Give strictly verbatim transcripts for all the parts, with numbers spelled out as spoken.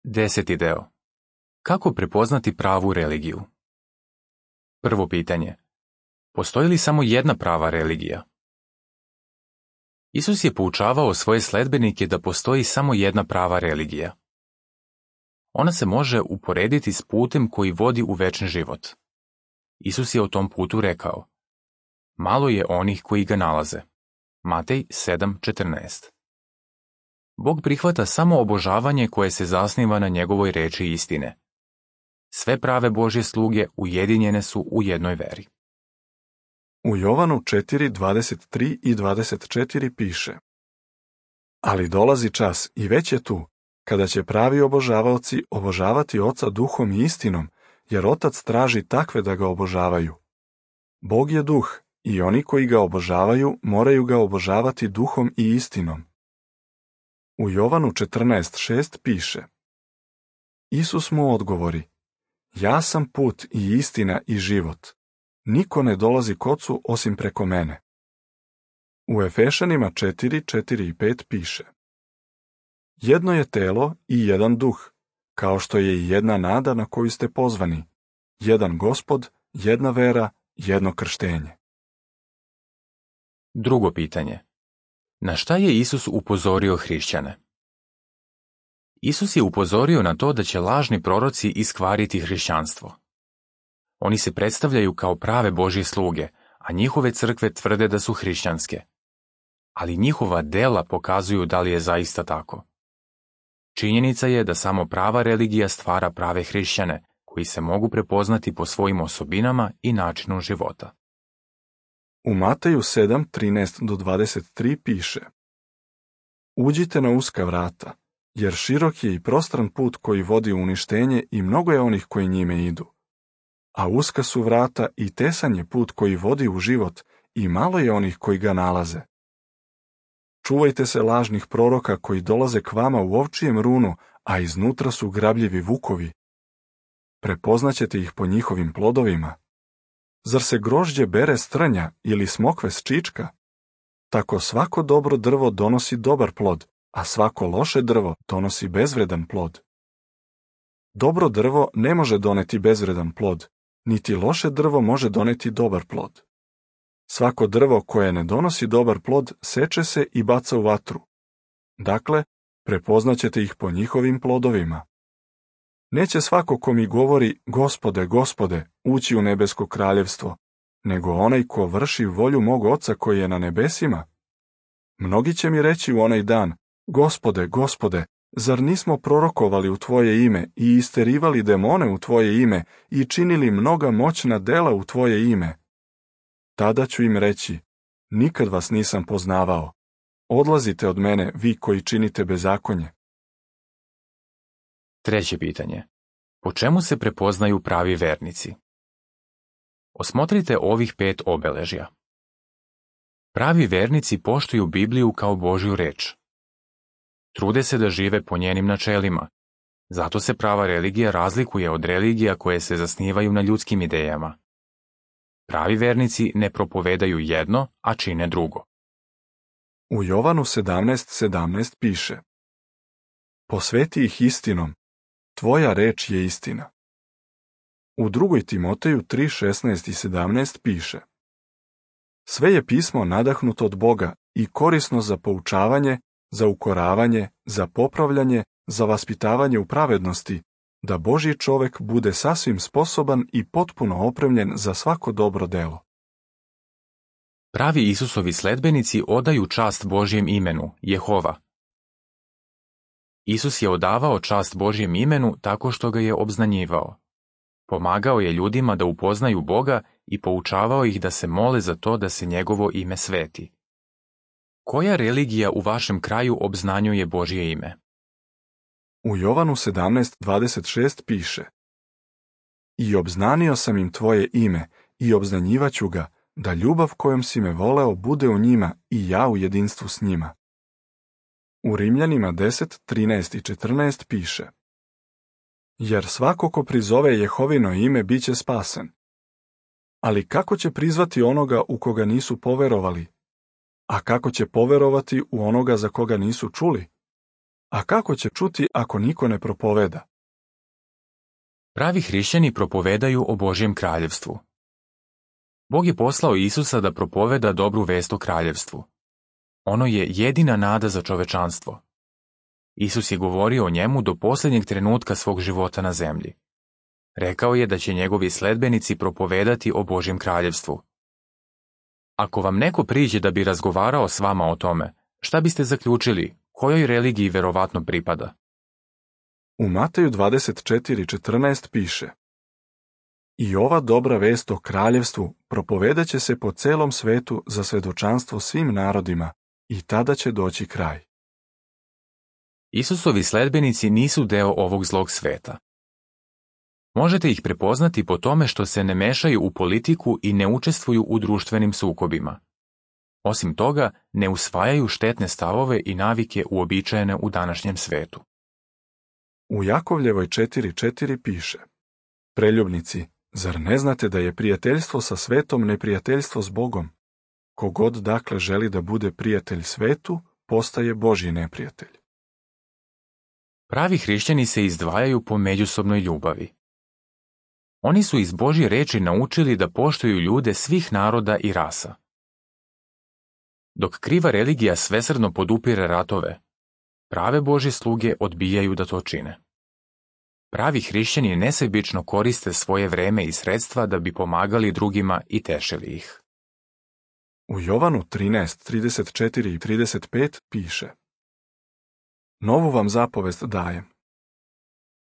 Deseti deo. Kako prepoznati pravu religiju? Prvo pitanje. Postoji li samo jedna prava religija? Isus je poučavao svoje sledbenike da postoji samo jedna prava religija. Ona se može uporediti s putem koji vodi u večni život. Isus je o tom putu rekao: malo je onih koji ga nalaze. Matej sedam četrnaest. Bog prihvata samo obožavanje koje se zasniva na njegovoj reči istine. Sve prave Božje sluge ujedinjene su u jednoj veri. U Jovanu četiri dvadeset tri i dvadeset četiri piše: ali dolazi čas i već je tu, kada će pravi obožavaoci obožavati Oca duhom i istinom, jer Otac traži takve da ga obožavaju. Bog je duh i oni koji ga obožavaju moraju ga obožavati duhom i istinom. U Jovanu četrnaest šest piše: Isus mu odgovori: ja sam put i istina i život. Niko ne dolazi k Ocu osim preko mene. U Efešanima četiri četiri i pet piše: jedno je telo i jedan duh, kao što je i jedna nada na koju ste pozvani, jedan Gospod, jedna vera, jedno krštenje. Drugo pitanje. Na šta je Isus upozorio hrišćane? Isus je upozorio na to da će lažni proroci iskvariti hrišćanstvo. Oni se predstavljaju kao prave Božje sluge, a njihove crkve tvrde da su hrišćanske. Ali njihova dela pokazuju da li je zaista tako. Činjenica je da samo prava religija stvara prave hrišćane, koji se mogu prepoznati po svojim osobinama i načinu života. U Mateju sedam trinaest do dvadeset tri piše: uđite na uska vrata, jer širok je i prostran put koji vodi u uništenje i mnogo je onih koji njime idu. A uska su vrata i tesan je put koji vodi u život i malo je onih koji ga nalaze. Čuvajte se lažnih proroka koji dolaze k vama u ovčijem runu, a iznutra su grabljivi vukovi. Prepoznaćete ih po njihovim plodovima. Zar se grožđe bere s trnja ili smokve s čička? Tako svako dobro drvo donosi dobar plod, a svako loše drvo donosi bezvredan plod. Dobro drvo ne može doneti bezvredan plod, niti loše drvo može doneti dobar plod. Svako drvo koje ne donosi dobar plod seče se i baca u vatru. Dakle, prepoznaćete ih po njihovim plodovima. Neće svako ko mi govori Gospode, Gospode, ući u nebesko kraljevstvo, nego onaj ko vrši volju mog Oca koji je na nebesima. Mnogi će mi reći u onaj dan: Gospode, Gospode, zar nismo prorokovali u Tvoje ime i isterivali demone u Tvoje ime i činili mnoga moćna dela u Tvoje ime? Tada ću im reći: nikad vas nisam poznavao. Odlazite od mene, vi koji činite bezakonje. Treće pitanje. Po čemu se prepoznaju pravi vernici? Osmotrite ovih pet obeležja. Pravi vernici poštuju Bibliju kao Božju reč. Trude se da žive po njenim načelima. Zato se prava religija razlikuje od religija koje se zasnivaju na ljudskim idejama. Pravi vernici ne propovedaju jedno, a čine drugo. U Jovanu sedamnaest sedamnaest piše: posveti ih istinom, tvoja reč je istina. U drugoj Timoteju tri šesnaest i sedamnaest piše: sve je pismo nadahnuto od Boga i korisno za poučavanje, za ukoravanje, za popravljanje, za vaspitavanje u pravednosti, da Božji čovek bude sasvim sposoban i potpuno opremljen za svako dobro delo. Pravi Isusovi sledbenici odaju čast Božjem imenu, Jehova. Isus je odavao čast Božjem imenu tako što ga je obznanjivao. Pomagao je ljudima da upoznaju Boga i poučavao ih da se mole za to da se njegovo ime sveti. Koja religija u vašem kraju obznanjuje Božje ime? U Jovanu sedamnaest dvadeset šest piše: i obznanio sam im tvoje ime i obznanjivaću ga, da ljubav kojom si me voleo bude u njima i ja u jedinstvu s njima. U Rimljanima deset trinaest i četrnaest piše: jer svako ko prizove Jehovino ime bit će spasen. Ali kako će prizvati onoga u koga nisu poverovali? A kako će poverovati u onoga za koga nisu čuli? A kako će čuti ako niko ne propoveda? Pravi hrišćani propovedaju o Božjem kraljevstvu. Bog je poslao Isusa da propoveda dobru vest o kraljevstvu. Ono je jedina nada za čovečanstvo. Isus je govorio o njemu do posljednjeg trenutka svog života na zemlji. Rekao je da će njegovi sledbenici propovedati o Božjem kraljevstvu. Ako vam neko priđe da bi razgovarao s vama o tome, šta biste zaključili, kojoj religiji verovatno pripada? U Mateju dvadeset četiri četrnaest piše: I ova dobra vest o kraljevstvu propovedat će se po celom svetu za svedočanstvo svim narodima i tada će doći kraj. Isusovi sledbenici nisu deo ovog zlog sveta. Možete ih prepoznati po tome što se ne mešaju u politiku i ne učestvuju u društvenim sukobima. Osim toga, ne usvajaju štetne stavove i navike uobičajene u današnjem svetu. U Jakovljevoj četiri četiri piše: Preljubnici, zar ne znate da je prijateljstvo sa svetom neprijateljstvo s Bogom? Kogod dakle želi da bude prijatelj svetu, postaje Božji neprijatelj. Pravi hrišćani se izdvajaju po međusobnoj ljubavi. Oni su iz Božje reči naučili da poštuju ljude svih naroda i rasa. Dok kriva religija svesrdno podupire ratove, prave Božje sluge odbijaju da to čine. Pravi hrišćani nesebično koriste svoje vreme i sredstva da bi pomagali drugima i tešili ih. U Jovanu trinaest trideset četiri i trideset pet piše: Novu vam zapovest dajem.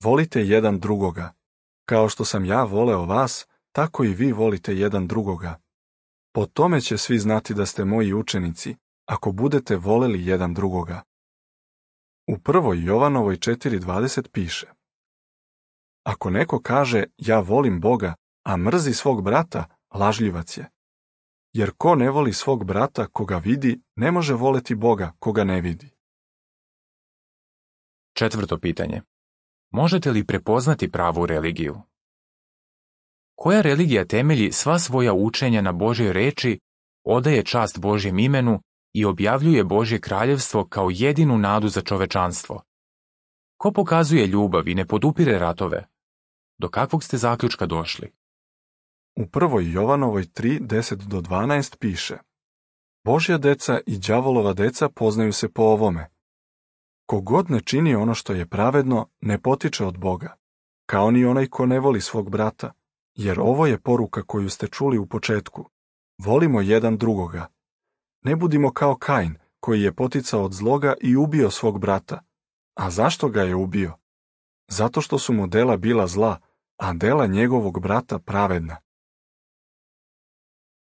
Volite jedan drugoga. Kao što sam ja voleo vas, tako i vi volite jedan drugoga. Po tome će svi znati da ste moji učenici, ako budete voleli jedan drugoga. U prvoj Jovanovoj četiri dvadeset piše: Ako neko kaže ja volim Boga, a mrzi svog brata, lažljivac je. Jer ko ne voli svog brata koga vidi, ne može voleti Boga koga ne vidi. Četvrto pitanje. Možete li prepoznati pravu religiju? Koja religija temelji sva svoja učenja na Božjoj reči, odaje čast Božjem imenu i objavljuje Božje kraljevstvo kao jedinu nadu za čovečanstvo? Ko pokazuje ljubav i ne podupire ratove? Do kakvog ste zaključka došli? U prvoj Jovanovoj tri deset do dvanaest piše: Božja deca i đavolova deca poznaju se po ovome. Kogod ne čini ono što je pravedno, ne potiče od Boga, kao ni onaj ko ne voli svog brata, jer ovo je poruka koju ste čuli u početku. Volimo jedan drugoga. Ne budimo kao Kain, koji je poticao od zloga i ubio svog brata. A zašto ga je ubio? Zato što su mu dela bila zla, a dela njegovog brata pravedna.